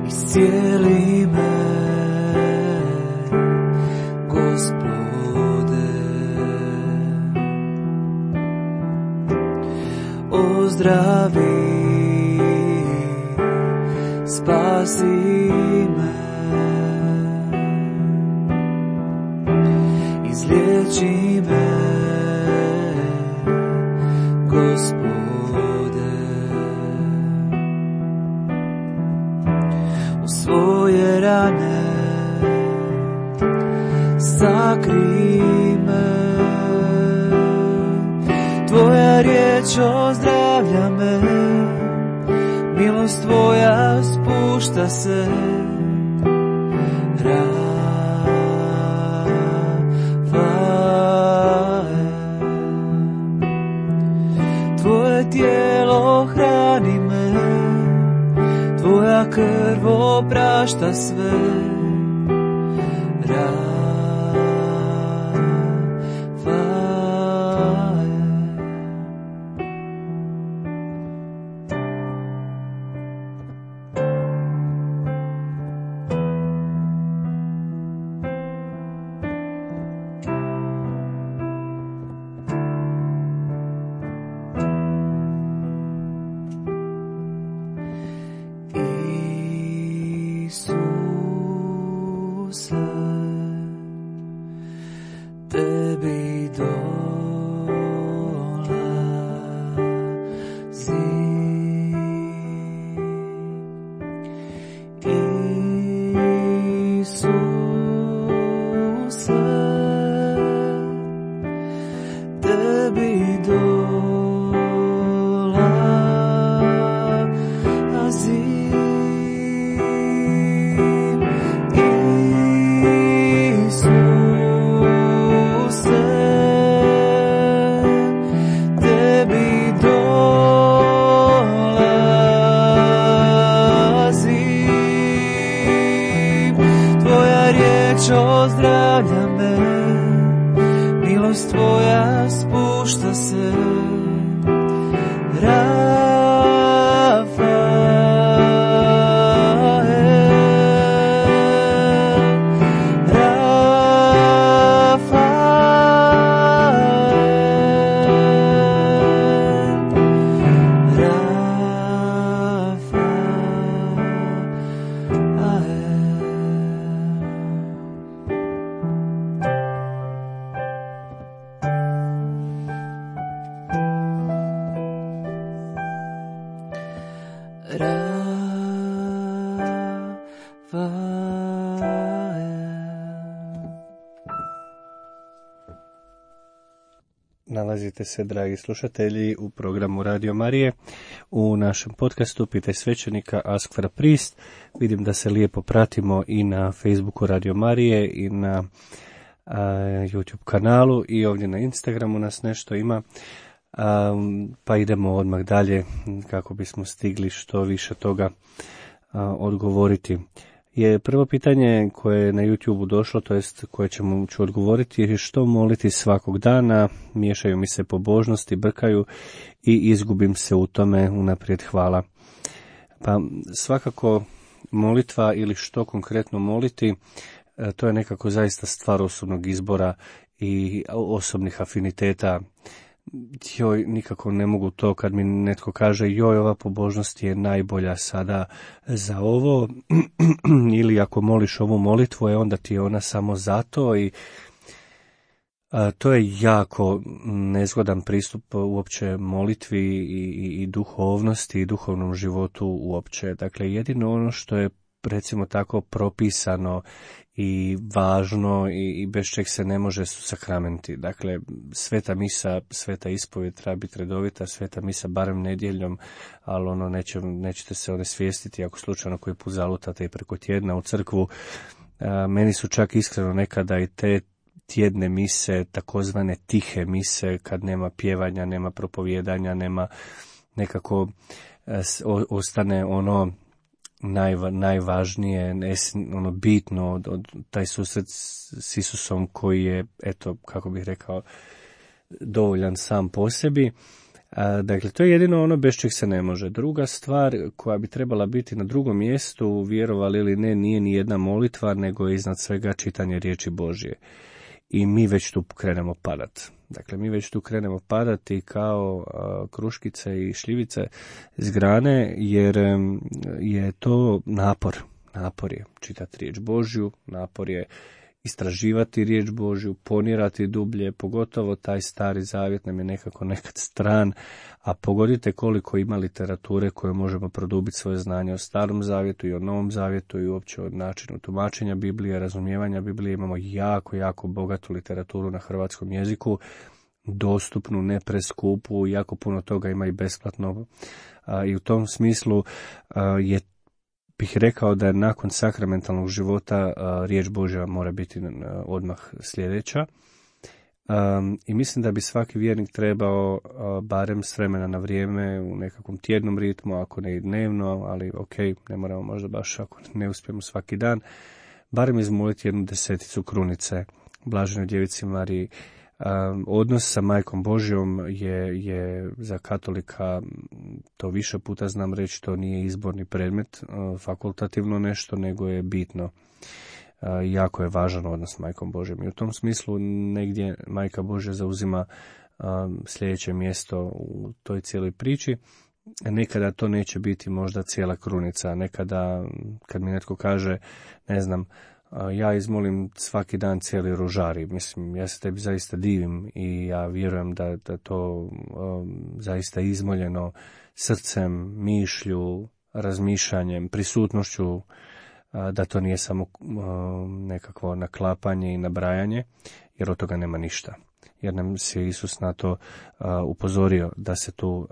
iscijeli me, Gospode, ozdravi, spasi me, izliječi me, Gospode, svoje rane sakri me, Tvoja riječ ozdravlja me, milost Tvoja spušta se, Tvoje tijelo hrani me, Tvoja krv oprašta sve, Tebi dolazi, Isuse, tebi dolazi, ozdravlja me, milost Tvoja spušta se, Nalazite se, dragi slušatelji, u programu Radio Marije, u našem podcastu Pitaj svećenika, Ask for a Priest. Vidim da se lijepo pratimo i na Facebooku Radio Marije i na YouTube kanalu i ovdje na Instagramu nas nešto ima. Pa idemo odmah dalje kako bismo stigli što više toga odgovoriti. je prvo pitanje koje je na YouTube-u došlo, to jest koje ću odgovoriti, je što moliti svakog dana, miješaju mi se pobožnosti, brkaju i izgubim se u tome, unaprijed hvala. Pa svakako molitva ili što konkretno moliti, to je nekako zaista stvar osobnog izbora i osobnih afiniteta. Joj, nikako ne mogu to kad mi netko kaže joj, ova pobožnost je najbolja sada za ovo, ili ako moliš ovu molitvu, onda ti je ona samo zato i to je jako nezgodan pristup uopće molitvi i duhovnosti i duhovnom životu uopće. Dakle, jedino ono što je recimo tako propisano i važno i bez čeg se ne može su sakramenti. Dakle, sveta misa, sveta ispovjed treba biti redovita, sveta misa barem nedjeljom, ali nećete se onesvijestiti ako slučajno koji put zalutate i preko tjedna u crkvu. Meni su čak iskreno nekada i te tjedne mise, takozvane tihe mise, kad nema pjevanja, nema propovijedanja, nema nekako ostane ono najvažnije, ono bitno od taj susret s Isusom koji je, eto, kako bih rekao, dovoljan sam po sebi. Dakle, to je jedino ono bez čeg se ne može. Druga stvar koja bi trebala biti na drugom mjestu, vjerovali ili ne, nije ni jedna molitva, nego je iznad svega čitanje riječi Božje. I mi već tu krenemo padat. Dakle, mi već tu krenemo padati kao kruškice i šljivice s grane, jer je to napor. Napor je čitati riječ Božju, napor je istraživati riječ Božju, ponirati dublje, pogotovo taj stari zavjet nam je nekako nekad stran, a pogodite koliko ima literature koje možemo produbiti svoje znanje o starom zavjetu i o novom zavjetu i uopće o načinu tumačenja Biblije, razumijevanja Biblije. Imamo jako bogatu literaturu na hrvatskom jeziku, dostupnu, ne preskupu, jako puno toga ima i besplatno. I u tom smislu bih rekao da je nakon sakramentalnog života riječ Božja mora biti odmah sljedeća. I mislim da bi svaki vjernik trebao barem s vremena na vrijeme u nekakvom tjednom ritmu, ako ne i dnevno, ali ok, ne moramo možda baš ako ne uspijemo svaki dan, barem izmoliti 10 krunice Blaženoj djevici Mariji. Odnos sa Majkom Božjom je za katolika, to više puta znam reći, to nije izborni predmet, fakultativno nešto, nego je bitno. Jako je važan odnos s Majkom Božjom. I u tom smislu negdje Majka Božja zauzima sljedeće mjesto u toj cijeloj priči. Nekada to neće biti možda cijela krunica, nekada kad mi netko kaže, ne znam, ja izmolim svaki dan cijeli rožari. Mislim, ja se tebi zaista divim i ja vjerujem da to zaista izmoljeno srcem, mišlju, razmišljanjem, prisutnošću, da to nije samo nekakvo naklapanje i nabrajanje, jer od toga nema ništa. Jer nam se Isus na to upozorio da se tu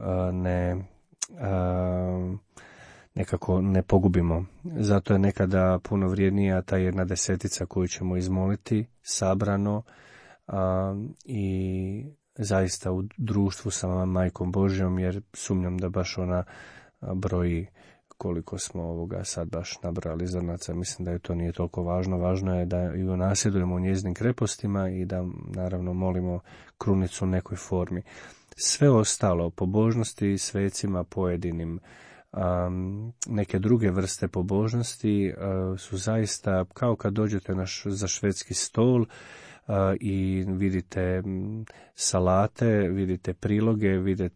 nekako ne pogubimo. Zato je nekada puno vrijednija ta 1/10 koju ćemo izmoliti sabrano i zaista u društvu sa Majkom Božjom, jer sumnjam da baš ona broji koliko smo ovoga sad baš nabrali zrnaca. Mislim da je to nije toliko važno. Važno je da ju nasjedujemo u njezinim krepostima i da naravno molimo krunicu u nekoj formi. Sve ostalo, pobožnosti svecima pojedinim, neke druge vrste pobožnosti su zaista kao kad dođete za švedski stol i vidite salate, vidite priloge,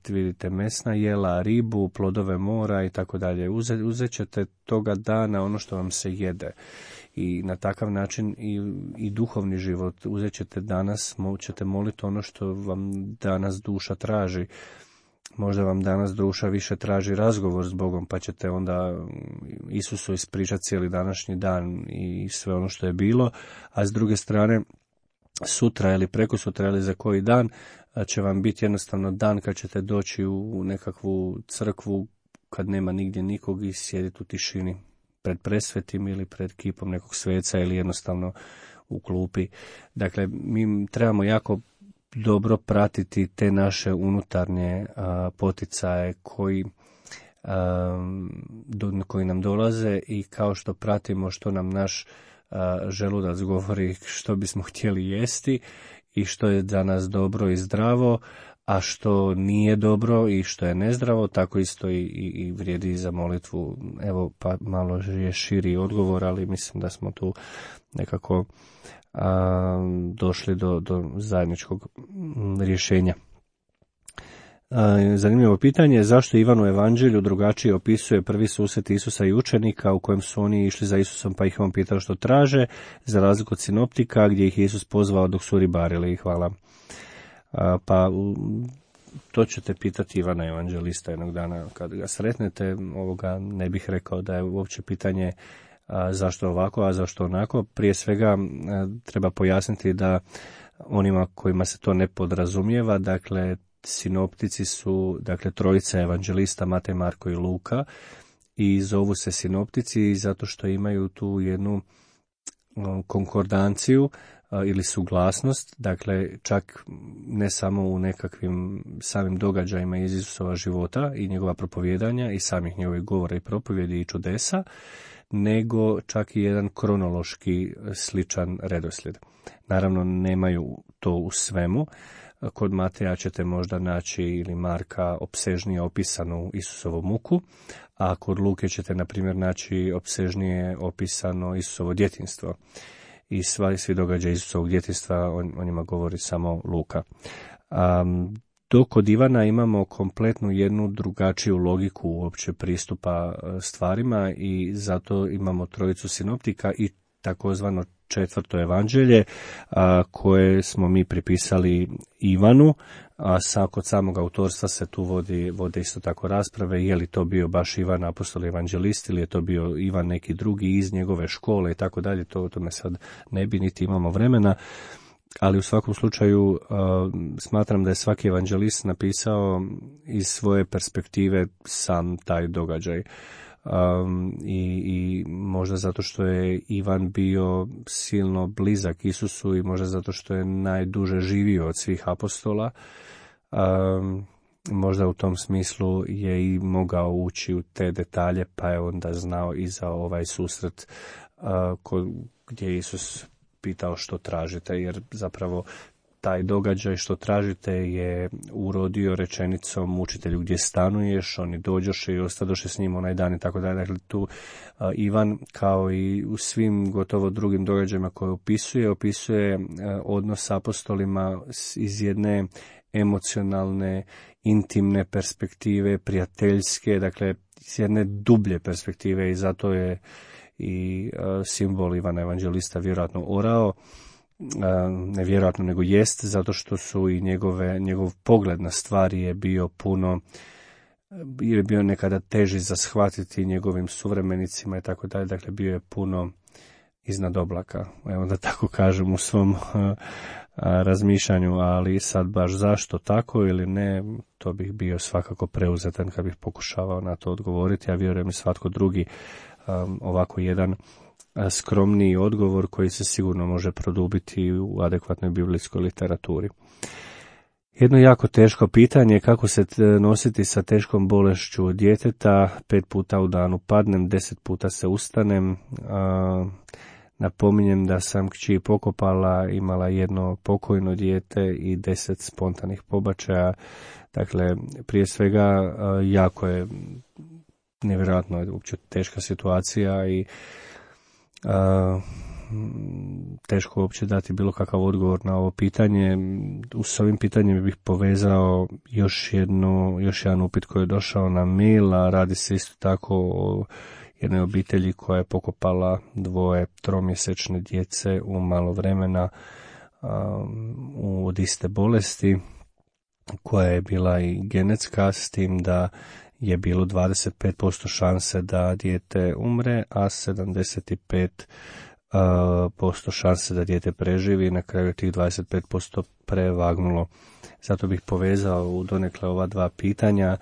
vidite mesna jela, ribu, plodove mora i tako dalje. Uzet ćete toga dana ono što vam se jede i na takav način i duhovni život. Uzet ćete danas, ćete moliti ono što vam danas duša traži. Možda vam danas duša više traži razgovor s Bogom, pa ćete onda Isusu ispričati cijeli današnji dan i sve ono što je bilo, a s druge strane sutra ili prekosutra ili za koji dan će vam biti jednostavno dan kad ćete doći u nekakvu crkvu kad nema nigdje nikog i sjediti u tišini pred presvetim ili pred kipom nekog sveca ili jednostavno u klupi. Dakle, mi trebamo jako dobro pratiti te naše unutarnje poticaje koji koji nam dolaze i kao što pratimo što nam naš želudac govori što bismo htjeli jesti i što je za nas dobro i zdravo, a što nije dobro i što je nezdravo, tako isto i vrijedi za molitvu. Evo, pa malo je širi odgovor, ali mislim da smo tu nekako došli do zajedničkog rješenja. Zanimljivo pitanje, zašto Ivan u Evanđelju drugačije opisuje prvi susret Isusa i učenika u kojem su oni išli za Isusom pa ih on pitao što traže, za razliku od sinoptika gdje ih Isus pozvao dok su ribarili. Hvala. Pa to ćete pitati Ivana Evanđelista jednog dana kad ga sretnete. Ovoga ne bih rekao da je uopće pitanje zašto ovako, a zašto onako. Prije svega treba pojasniti da onima kojima se to ne podrazumijeva, dakle sinoptici su, dakle, trojica evanđelista, Matej, Marko i Luka, i zovu se sinoptici zato što imaju tu jednu konkordanciju ili suglasnost, dakle čak ne samo u nekakvim samim događajima iz Isusova života i njegova propovijedanja i samih njegovih govora i propovjedi i čudesa, nego čak i jedan kronološki sličan redoslijed. Naravno nemaju to u svemu. Kod Mateja ćete možda naći ili Marka opsežnije opisanu Isusovu muku, a kod Luke ćete na primjer naći opsežnije opisano Isusovo djetinjstvo. I svi događaji Isusovog djetinjstva, o njima govori samo Luka. Dok kod Ivana imamo kompletnu jednu drugačiju logiku uopće pristupa stvarima i zato imamo trojicu sinoptika i takozvano četvrto evanđelje koje smo mi pripisali Ivanu, a kod samog autorstva se tu vode isto tako rasprave, je li to bio baš Ivan apostol evanđelist ili je to bio Ivan neki drugi iz njegove škole i tako dalje, to me sad ne bi niti imamo vremena, ali u svakom slučaju smatram da je svaki evanđelist napisao iz svoje perspektive sam taj događaj. I možda zato što je Ivan bio silno blizak Isusu i možda zato što je najduže živio od svih apostola, možda u tom smislu je i mogao ući u te detalje, pa je onda znao i za ovaj susret gdje je Isus pitao što tražite, jer zapravo taj događaj što tražite je urodio rečenicom učitelju gdje stanuješ, oni dođoše i ostadoše s njim onaj dan i tako dalje. Dakle, tu Ivan kao i u svim gotovo drugim događajima koje opisuje odnos s apostolima iz jedne emocionalne, intimne perspektive, prijateljske, dakle iz jedne dublje perspektive i zato je i simbol Ivana Evanđelista vjerojatno orao. Ne vjerojatno nego jest, zato što su i njegov pogled na stvari je bio nekada teži za shvatiti njegovim suvremenicima i tako dalje, dakle bio je puno iznad oblaka, evo da tako kažem u svom razmišljanju, ali sad baš zašto tako ili ne, to bih bio svakako preuzetan kad bih pokušavao na to odgovoriti, a vjerujem i svatko drugi ovako jedan skromniji odgovor koji se sigurno može produbiti u adekvatnoj biblijskoj literaturi. Jedno jako teško pitanje je kako se nositi sa teškom bolešću djeteta. 5 puta u danu padnem, 10 puta se ustanem. Napominjem da sam kći pokopala, imala jedno pokojno dijete i 10 spontanih pobačaja. Dakle, prije svega jako je nevjerojatno je uopće teška situacija i teško uopće dati bilo kakav odgovor na ovo pitanje. S ovim pitanjem bih povezao još jedan upit koji je došao na mail, a radi se isto tako o jednoj obitelji koja je pokopala 2 tromjesečne djece u malo vremena od iste bolesti koja je bila i genetska, s tim da je bilo 25% šanse da dijete umre, a 75% šanse da dijete preživi i na kraju tih 25% prevagnulo. Zato bih povezao u donekle ova dva pitanja.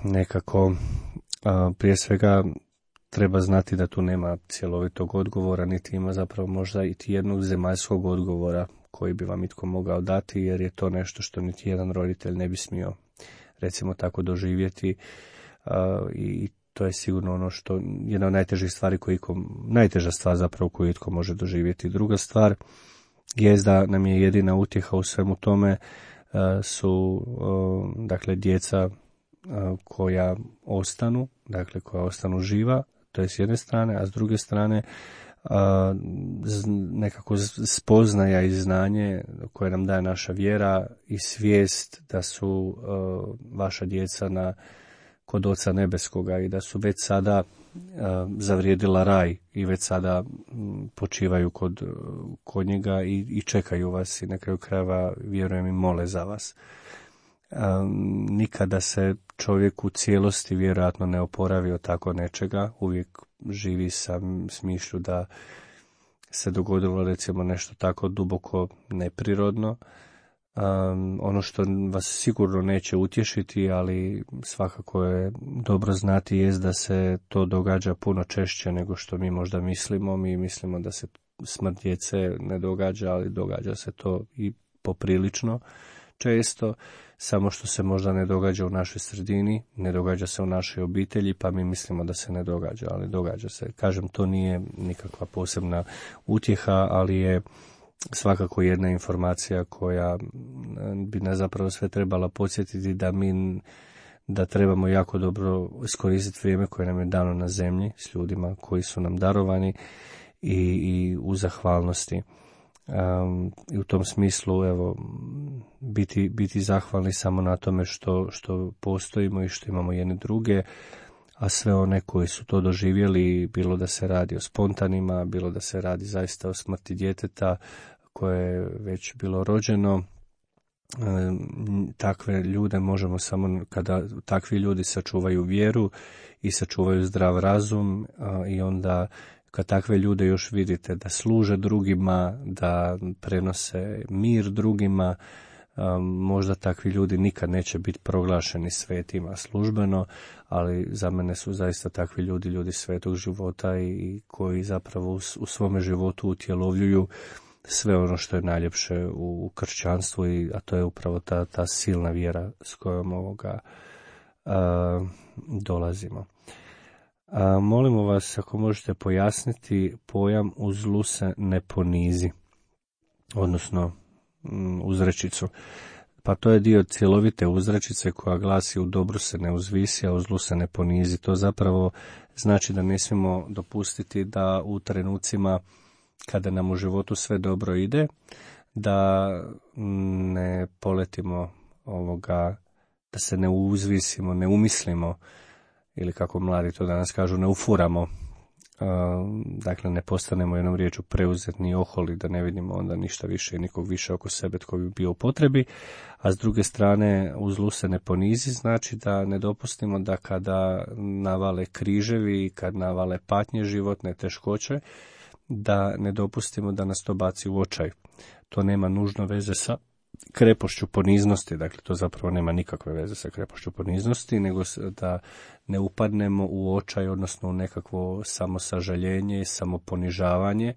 Nekako prije svega treba znati da tu nema cjelovitog odgovora, niti ima zapravo možda i jednog zemaljskog odgovora koji bi vam itko mogao dati, jer je to nešto što niti jedan roditelj ne bi smio recimo tako doživjeti, i to je sigurno ono što jedna od najtežih stvari najteža stvar zapravo koju itko može doživjeti. Druga stvar je da nam je jedina utjeha u svemu tome su dakle djeca koja ostanu živa, to je s jedne strane, a s druge strane nekako spoznaja i znanje koje nam daje naša vjera i svijest da su vaša djeca kod Oca Nebeskoga i da su već sada zavrijedila raj i već sada počivaju kod njega i čekaju vas i na kraju krajeva, vjerujem, i mole za vas. Nikada se čovjek u cijelosti vjerojatno ne oporavi od tako nečega, uvijek živi sa smišlju da se dogodilo recimo nešto tako duboko neprirodno. Ono što vas sigurno neće utješiti, ali svakako je dobro znati, jest da se to događa puno češće nego što mi možda mislimo. Mi mislimo da se smrt djece ne događa, ali događa se to i poprilično često, samo što se možda ne događa u našoj sredini, ne događa se u našoj obitelji, pa mi mislimo da se ne događa, ali događa se. Kažem, to nije nikakva posebna utjeha, ali je svakako jedna informacija koja bi nas zapravo sve trebala podsjetiti da trebamo jako dobro iskoristiti vrijeme koje nam je dano na zemlji s ljudima koji su nam darovani i u zahvalnosti. I u tom smislu, evo, biti zahvalni samo na tome što postojimo i što imamo jedne druge, a sve one koji su to doživjeli, bilo da se radi o spontanima, bilo da se radi zaista o smrti djeteta koje je već bilo rođeno, takve ljude možemo samo kada takvi ljudi sačuvaju vjeru i sačuvaju zdrav razum, i onda kad takve ljude još vidite da služe drugima, da prenose mir drugima, možda takvi ljudi nikad neće biti proglašeni svetima službeno, ali za mene su zaista takvi ljudi svetog života i koji zapravo u svome životu utjelovljuju sve ono što je najljepše u kršćanstvu, a to je upravo ta silna vjera s kojom dolazimo. Molimo vas, ako možete pojasniti pojam u zlu se ne ponizi, odnosno uzrečicu. Pa to je dio cjelovite uzrečice koja glasi: u dobru se ne uzvisi, a u zlu se ne ponizi. To zapravo znači da ne smijemo dopustiti da u trenucima kada nam u životu sve dobro ide, da ne poletimo da se ne uzvisimo, ne umislimo, ili kako mladi to danas kažu, ne ufuramo. Dakle, ne postanemo jednom riječu preuzetni, oholi, da ne vidimo onda ništa više i nikog više oko sebe tko bi bio u potrebi. A s druge strane, u zlu se ne ponizi, znači da ne dopustimo da kada navale križevi, kad navale patnje životne, teškoće, da ne dopustimo da nas to baci u očaj. To nema nužno veze sa krepošću poniznosti, dakle to zapravo nema nikakve veze sa krepošću poniznosti, nego da ne upadnemo u očaj, odnosno u nekakvo samosažaljenje, samoponižavanje,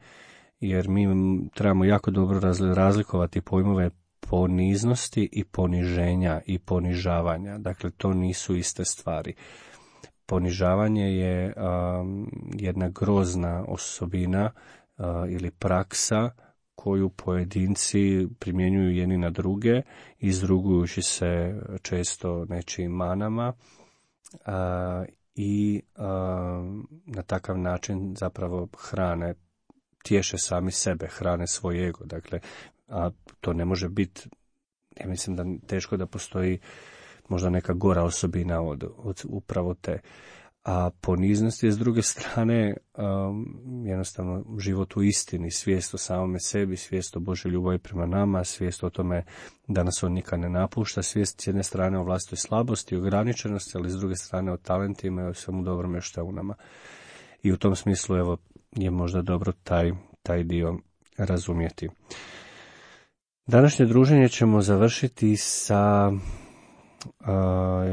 jer mi trebamo jako dobro razlikovati pojmove poniznosti i poniženja i ponižavanja. Dakle, to nisu iste stvari. Ponižavanje je jedna grozna osobina ili praksa koju pojedinci primjenjuju jedni na druge, izrugujući se često nečijim manama i na takav način zapravo tješe sami sebe, hrane svoj ego. Dakle, a to ne može biti, ja mislim da teško da postoji možda neka gora osobina od upravo te. A poniznost je s druge strane jednostavno život u istini, svijest o samome sebi, svijest o Božoj ljubavi prema nama, svijest o tome da nas on nikad ne napušta, svijest s jedne strane o vlastitoj slabosti i ograničenosti, ali s druge strane o talentima i o svemu dobrome što je u nama. I u tom smislu evo je možda dobro taj dio razumjeti. Današnje druženje ćemo završiti sa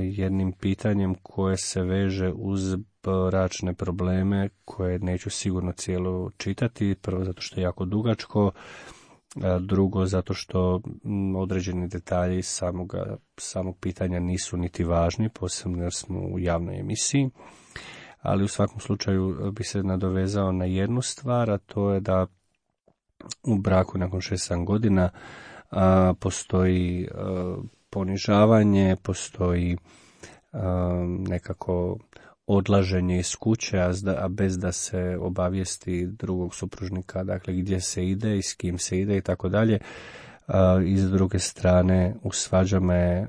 jednim pitanjem koje se veže uz bračne probleme, koje neću sigurno cijelo čitati, prvo zato što je jako dugačko, drugo zato što određeni detalji samog pitanja nisu niti važni, posebno jer smo u javnoj emisiji, ali u svakom slučaju bi se nadovezao na jednu stvar, a to je da u braku nakon 6-7 godina postoji ponižavanje, postoji nekako odlaženje iz kuće, a bez da se obavijesti drugog supružnika, dakle gdje se ide i s kim se ide i tako dalje. I s druge strane u svađama je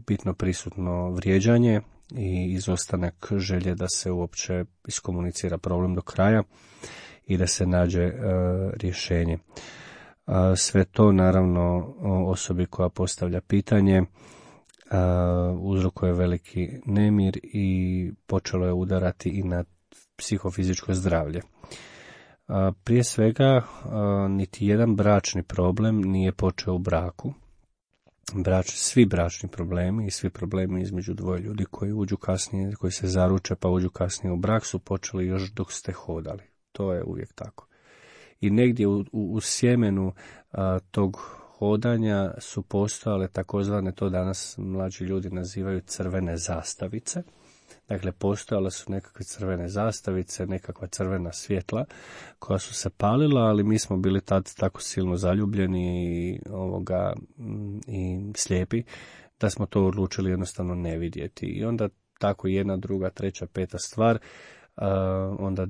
bitno prisutno vrijeđanje i izostanak želje da se uopće iskomunicira problem do kraja i da se nađe rješenje. Sve to naravno osobi koja postavlja pitanje uzrokuje veliki nemir i počelo je udarati i na psihofizičko zdravlje. Prije svega, niti jedan bračni problem nije počeo u braku. Svi bračni problemi i svi problemi između dvoje ljudi koji uđu kasnije, koji se zaruče pa uđu kasnije u brak su počeli još dok ste hodali. To je uvijek tako. I negdje u sjemenu tog hodanja su postojale takozvane, to danas mlađi ljudi nazivaju crvene zastavice. Dakle, postojale su nekakve crvene zastavice, nekakva crvena svjetla koja su se palila, ali mi smo bili tad tako silno zaljubljeni i slijepi da smo to odlučili jednostavno ne vidjeti. I onda tako jedna, druga, treća, peta stvar, onda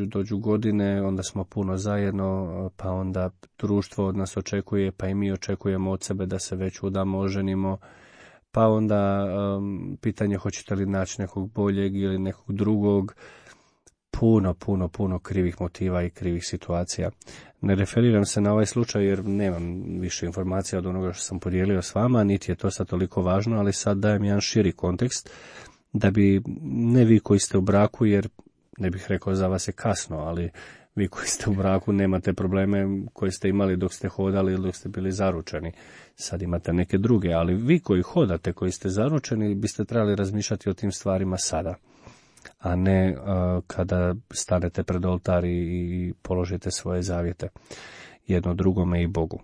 dođu godine, onda smo puno zajedno, pa onda društvo od nas očekuje, pa i mi očekujemo od sebe da se već udamo, oženimo, pa onda pitanje hoćete li naći nekog boljeg ili nekog drugog, puno krivih motiva i krivih situacija. Ne referiram se na ovaj slučaj jer nemam više informacija od onoga što sam podijelio s vama, niti je to sad toliko važno, ali sad dajem jedan širi kontekst da bi ne vi koji ste u braku, jer ne bih rekao za vas je kasno, ali vi koji ste u braku nemate probleme koje ste imali dok ste hodali ili dok ste bili zaručeni. Sad imate neke druge, ali vi koji hodate, koji ste zaručeni, biste trebali razmišljati o tim stvarima sada, a ne kada stanete pred oltar i položite svoje zavjete jedno drugome i Bogu.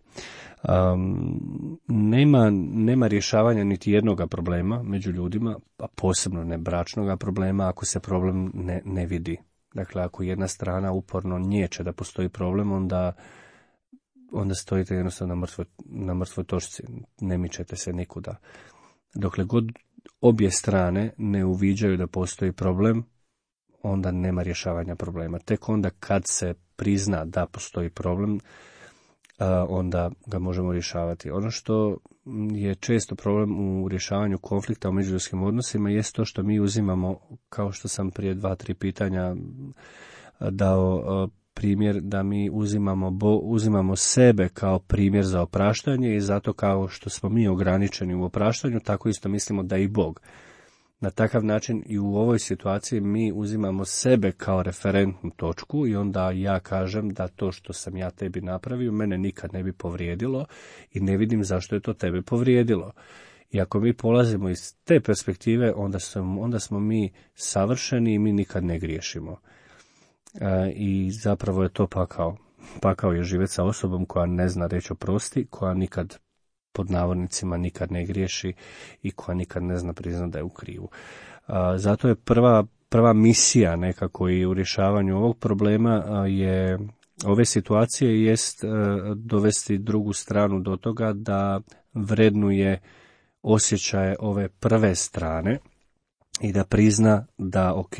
Nema rješavanja niti jednoga problema među ljudima, a posebno ne bračnoga problema, ako se problem ne vidi. Dakle, ako jedna strana uporno niječe da postoji problem, onda stojite jednostavno na mrtvoj točci, ne mičete se nikuda. Dokle god obje strane ne uviđaju da postoji problem, onda nema rješavanja problema. Tek onda kad se prizna da postoji problem, onda ga možemo rješavati. Ono što je često problem u rješavanju konflikta u međuljudskim odnosima jest to što mi uzimamo, kao što sam prije 2-3 pitanja dao primjer, da mi uzimamo sebe kao primjer za opraštanje i zato kao što smo mi ograničeni u opraštanju, tako isto mislimo da i Bog. Na takav način i u ovoj situaciji mi uzimamo sebe kao referentnu točku i onda ja kažem da to što sam ja tebi napravio mene nikad ne bi povrijedilo i ne vidim zašto je to tebe povrijedilo. I ako mi polazimo iz te perspektive, onda smo mi savršeni i mi nikad ne griješimo. I zapravo je to pakao. Pakao je živjeti sa osobom koja ne zna reći oprosti, koja nikad pod navodnicima nikad ne griješi i koja nikad ne zna priznati da je u krivu. Zato je prva misija nekako i u rješavanju ovog problema ove situacije jest dovesti drugu stranu do toga da vrednuje osjećaje ove prve strane i da prizna da ok,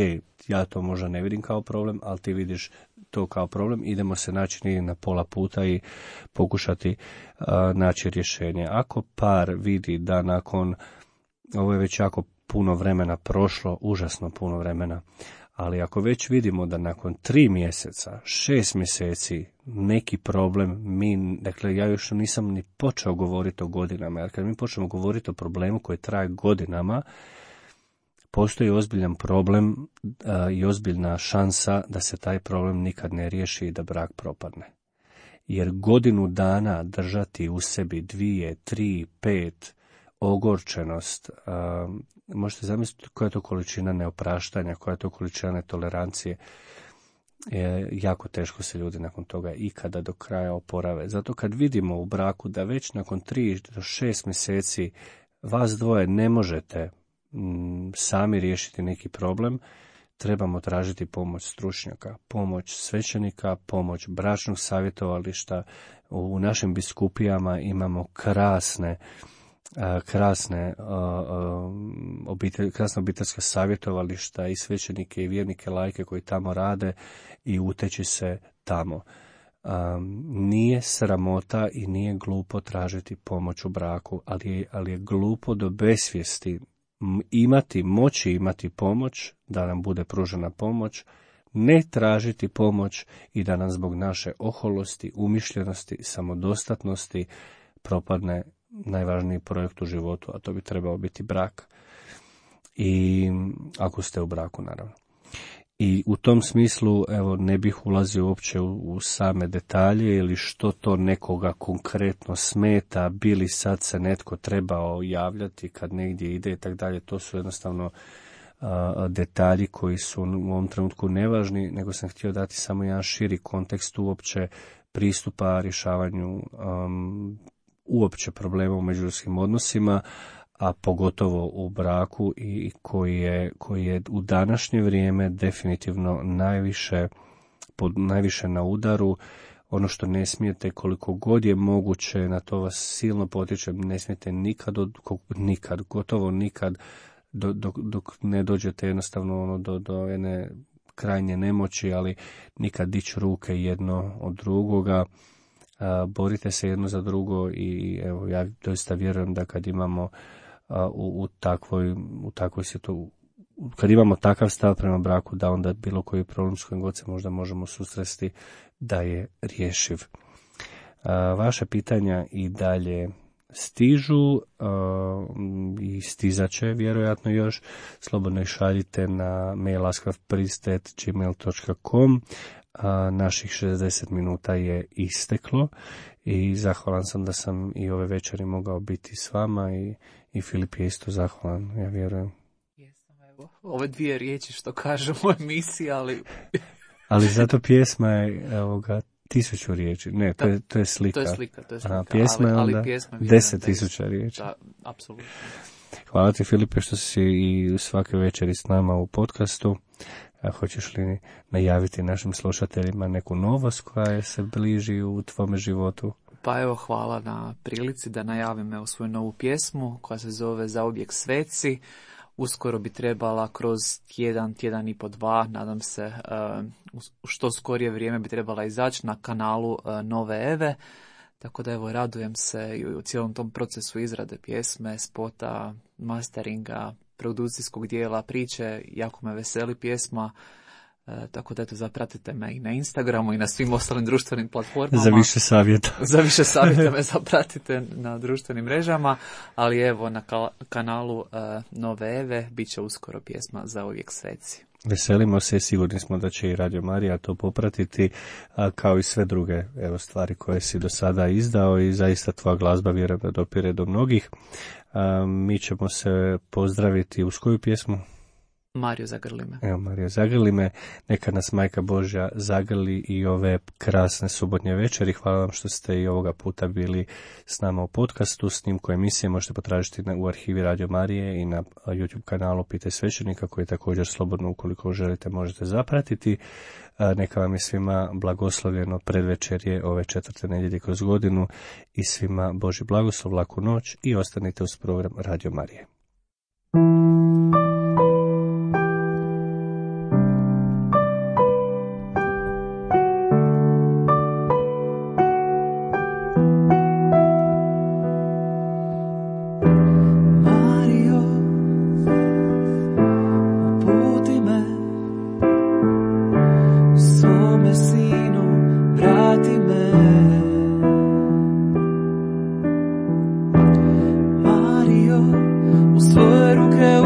ja to možda ne vidim kao problem, ali ti vidiš to kao problem, idemo se naći na pola puta i pokušati naći rješenje. Ako par vidi da nakon, ovo je već jako puno vremena prošlo, užasno puno vremena, ali ako već vidimo da nakon 3 mjeseca, 6 mjeseci neki problem, dakle ja još nisam ni počeo govoriti o godinama, jer kad mi počnemo govoriti o problemu koji traje godinama, postoji ozbiljan problem i ozbiljna šansa da se taj problem nikad ne riješi i da brak propadne. Jer godinu dana držati u sebi 2, 3, 5 ogorčenost, možete zamisliti koja je to količina neopraštanja, koja je to količina netolerancije. jako teško se ljudi nakon toga ikada do kraja oporave. Zato kad vidimo u braku da već nakon 3 do 6 mjeseci vas dvoje ne možete sami riješiti neki problem, trebamo tražiti pomoć stručnjaka, pomoć svećenika, pomoć bračnog savjetovališta. U našim biskupijama imamo krasna obiteljska savjetovališta i svećenike i vjernike lajke koji tamo rade i uteći se tamo. Nije sramota i nije glupo tražiti pomoć u braku, ali je glupo do besvijesti moći imati pomoć, da nam bude pružena pomoć, ne tražiti pomoć i da nam zbog naše oholosti, umišljenosti, samodostatnosti propadne najvažniji projekt u životu, a to bi trebao biti brak. I ako ste u braku, naravno. I u tom smislu, evo, ne bih ulazio uopće u same detalje ili što to nekoga konkretno smeta, bili sad se netko trebao javljati kad negdje ide i tako dalje. To su jednostavno detalji koji su u ovom trenutku nevažni, nego sam htio dati samo jedan širi kontekst uopće pristupa rješavanju uopće problema u međuljudskim odnosima, a pogotovo u braku i koji je u današnje vrijeme definitivno najviše na udaru. Ono što ne smijete, koliko god je moguće, na to vas silno potičem, ne smijete gotovo nikad, dok ne dođete jednostavno do jedne krajnje nemoći, ali nikad dići ruke jedno od drugoga. Borite se jedno za drugo i evo, ja doista vjerujem da kad imamo u takvoj situaciji, kad imamo takav stav prema braku, da onda bilo koji problem s kojim god se možda možemo susresti da je rješiv. Vaše pitanja i dalje stižu i stizat će vjerojatno još. Slobodno ih šaljite na mail laskavpriest@gmail.com. Naših 60 minuta je isteklo i zahvalan sam da sam i ove večeri mogao biti s vama i Filip je isto zahvalan, ja vjerujem. Jesam, evo, ove 2 riječi što kažu u emisiji, ali... Ali zato pjesma je, evo ga, 1000 riječi. Ne, to je slika. To je slika. Pjesma je onda 10.000 riječi. Da, apsolutno. Hvala ti, Filipe, što si i svake večeri s nama u podcastu. Hoćeš li najaviti našim slušateljima neku novost koja se bliži u tvome životu? Pa evo, hvala na prilici da najavim svoju novu pjesmu koja se zove Zauvijek sveci. Uskoro bi trebala kroz tjedan i po 2, nadam se, u što skorije vrijeme bi trebala izaći na kanalu Nove Eve. Tako da evo, radujem se i u cijelom tom procesu izrade pjesme, spota, masteringa, produkcijskog dijela, priče. Jako me veseli pjesma. Tako da eto, zapratite me i na Instagramu i na svim ostalim društvenim platformama. Za više savjeta. Za više savjeta me zapratite na društvenim mrežama, ali evo na kanalu Nove Eve bit će uskoro pjesma Zauvijek sveci. Veselimo se, sigurni smo da će i Radio Marija to popratiti, kao i sve druge stvari koje si do sada izdao i zaista tvoja glazba vjerujem da dopire do mnogih. Mi ćemo se pozdraviti uz koju pjesmu? Mario, zagrli me. Evo, Mario, zagrli me. Neka nas Majka Božja zagrli i ove krasne subotnje večeri. Hvala vam što ste i ovoga puta bili s nama u podcastu. Snimku emisije možete potražiti u arhivi Radio Marije i na YouTube kanalu Pitaj svećenika, koji također slobodno, ukoliko želite, možete zapratiti. Neka vam je svima blagoslovljeno predvečerje ove 4. nedjelje kroz godinu i svima Božji blagoslov, laku noć i ostanite uz program Radio Marije. Svoje ruke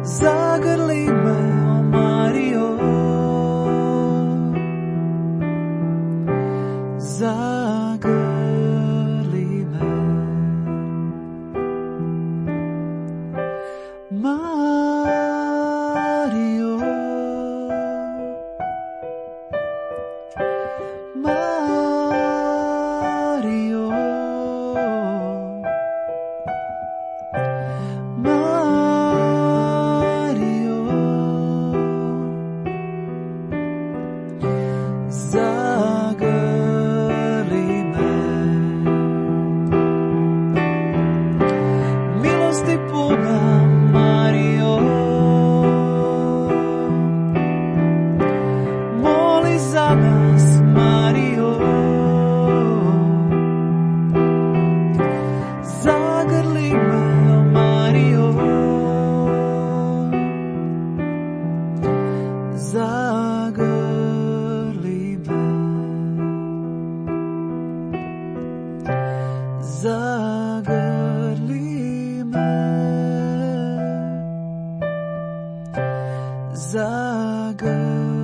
zagrli me, o Mario, zagrli me. Mario, Mario, Mario, zagrli me. Milosti puna, Mario, moli za nas, Mario, zagrli me, o Mario, zagrli me, zagrli me, zagrli